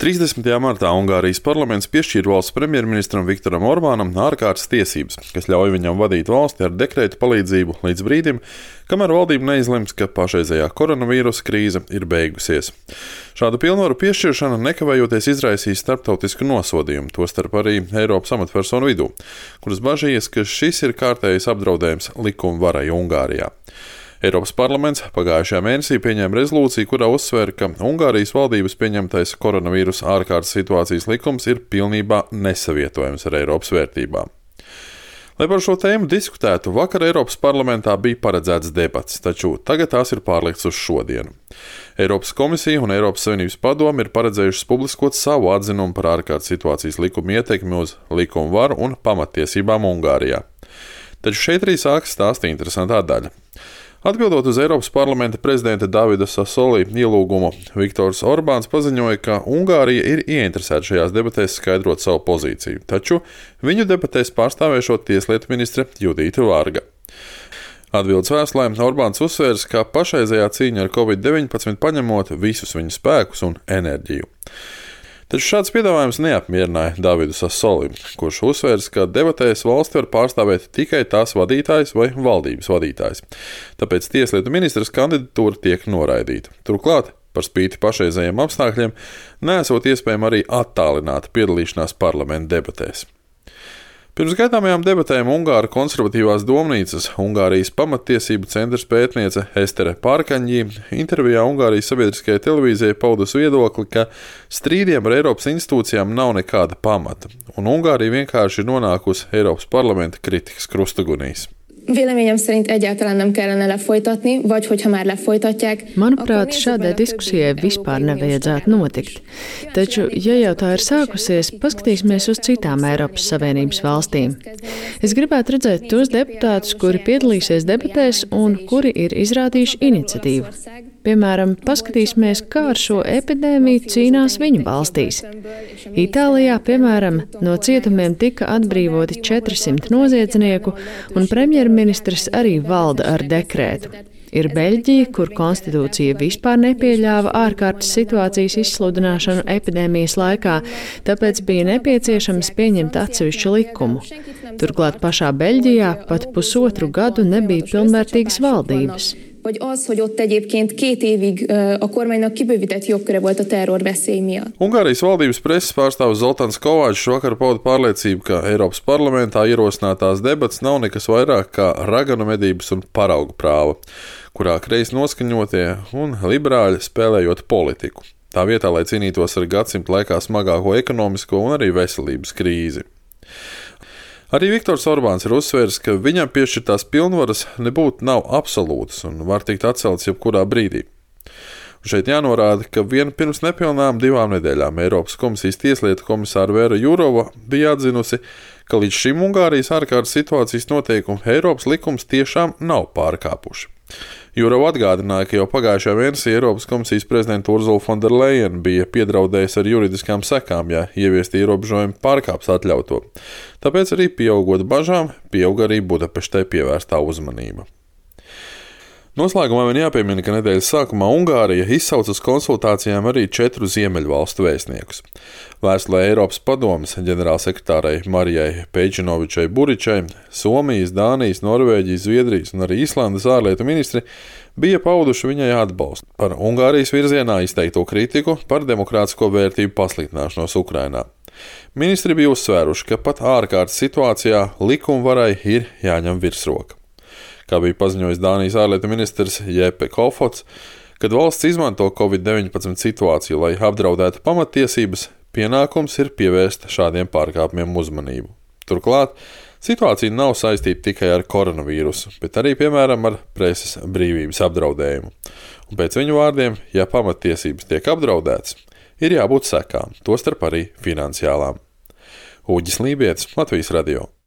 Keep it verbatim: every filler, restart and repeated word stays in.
trīsdesmitajā martā Ungārijas parlaments piešķīra valsts premjerministram Viktoram Orbānam ārkārtas tiesības, kas ļauj viņam vadīt valsti ar dekrēta palīdzību līdz brīdim, kamēr valdība neizlems, ka pašreizējā koronavīrusa krīze ir beigusies. Šādu pilnvaru piešķiršana nekavējoties izraisīs starptautisku nosodījumu, tostarp arī Eiropas amatpersonu vidū, kuras bažījas, ka šis ir kārtējs apdraudējums likuma varai Ungārijā. Eiropas parlaments pagājušajā mēnesī pieņēma rezolūciju, kurā uzsvēra, ka Ungārijas valdības pieņemtais koronavīrusa ārkārtas situācijas likums ir pilnībā nesavietojams ar Eiropas vērtībām. Lai par šo tēmu diskutētu, vakar Eiropas parlamentā bija paredzēts debats, taču tagad tās ir pārlikts uz šodienu. Eiropas komisija un Eiropas Savienības padome ir paredzējušas publiskot savu atzinumu par ārkārtas situācijas likuma ietekmi uz likumu varu un pamattiesībām Ungārijā. Taču šeit arī sākas stāsta interesantā daļa. Atbildot uz Eiropas parlamenta prezidenta Davida Sassoli ielūgumu, Viktors Orbāns paziņoja, ka Ungārija ir ieinteresēta šajās debatēs skaidrot savu pozīciju, taču viņu debatēs pārstāvēšot tieslietu ministre Judita Varga. Atbildes vēstulē Orbāns uzsvērs, ka pašreizējā cīņa ar covid deviņpadsmit paņemot visus viņa spēkus un enerģiju. Taču šāds piedāvājums neapmierināja Davidu Sassoli, kurš uzsvērs, ka debatēs valsti var pārstāvēt tikai tās vadītājs vai valdības vadītājs. Tāpēc tieslietu ministras kandidatūra tiek noraidīta. Turklāt, par spīti pašreizējiem apstākļiem, neesot iespējama arī attālināta piedalīšanās parlamenta debatēs. Pirms gaidāmajām debatēm Ungāru konservatīvās domnīcas Ungārijas pamattiesību centrs pētniece Estere Pārkaņģī intervijā Ungārijas sabiedriskajai televīzijai paudusi viedokli, ka strīdiem ar Eiropas institūcijām nav nekāda pamata, un Ungārija vienkārši ir nonākusi Eiropas parlamenta kritikas krustugunīs. Véleményem szerint egyáltalán nem kellene lefolytatni, vagy hogyha már lefolytatják. Manuprāt, šādai diskusijai vispār nevajadzētu notikt. Taču, ja jau tā ir sākusies, paskatīsimies uz citām Eiropas Savienības valstīm. Es gribētu redzēt tos deputātus, kuri piedalīsies debatēs un kuri ir izrādījuši iniciatīvu. Piemēram, paskatīsimies, kā ar šo epidēmiju cīnās viņu valstīs. Itālijā, piemēram, no cietumiem tika atbrīvoti četri simti noziedznieku, un premjerministrs arī valda ar dekrētu. Ir Beļģija, kur konstitūcija vispār nepieļāva ārkārtas situācijas izsludināšanu epidēmijas laikā, tāpēc bija nepieciešams pieņemt atsevišķu likumu. Turklāt pašā Beļģijā pat pusotru gadu nebija pilnvērtīgas valdības. Vagy az, hogy ott egyébként két évig a kormánynak kibővített jogköre volt a terrorveszély miatt. Ungārijas valdības preses pārstāvis Zoltāns Kovāčs vakar pauda pārliecību, ka Eiropas parlamentā ierosinātās debats nav nekas vairāk kā raganu medības un paraugu prāva, kurā kreisi noskaņotie un liberāļi spēlējot politiku. Tā vietā, lai cīnītos ar gadsimta laikā smagāko ekonomisko un arī veselības krīzi. Arī Viktors Orbāns ir uzsvērs, ka viņam piešķirtās pilnvaras nebūtu nav absolūtas un var tikt atceltas jebkurā brīdī. Un šeit jānorāda, ka vien pirms nepilnām divām nedēļām Eiropas komisijas tieslietu komisāra Vera Jurova bija atzinusi, ka līdz šim Ungārijas ārkārtas situācijas noteikumu Eiropas likums tiešām nav pārkāpuši. Jurova atgādināja, ka jau pagājušajā mēnesī Eiropas komisijas prezidenta Ursula von der Leyen bija piedraudējusi ar juridiskām sekām, ja ieviesti ierobežojumi pārkāps atļauto. Tāpēc arī pieaugot bažām, pieauga arī Budapeštai pievērstā uzmanība. Noslēgumā vien jāpiemina, ka nedēļas sākumā Ungārija izsauca uz konsultācijām arī četru ziemeļvalstu vēstniekus. Vēstulē Eiropas padomes ģenerālsekretārai Marijai Pejčinovičai Buričai, Somijas, Dānijas, Norvēģijas, Zviedrijas un arī Islandes ārlietu ministri bija pauduši viņai atbalstu par Ungārijas virzienā izteikto kritiku par demokrātisko vērtību pasliktināšanos Ukrainā. Ministri bija uzsvēruši, ka pat ārkārtas situācijā likumvarai ir jāņem virsroka. Kā bija paziņojis Dānijas ārlietu ministrs Jeppe Kofods, kad valsts izmanto covid deviņpadsmit situāciju, lai apdraudētu pamattiesības, pienākums ir pievērst šādiem pārkāpumiem uzmanību. Turklāt, situācija nav saistīta tikai ar koronavīrusu, bet arī, piemēram, ar preses brīvības apdraudējumu. Un pēc viņu vārdiem, ja pamattiesības tiek apdraudētas, ir jābūt sekām, tostarp arī finansiālām. Uģis Lībietis, Latvijas radio.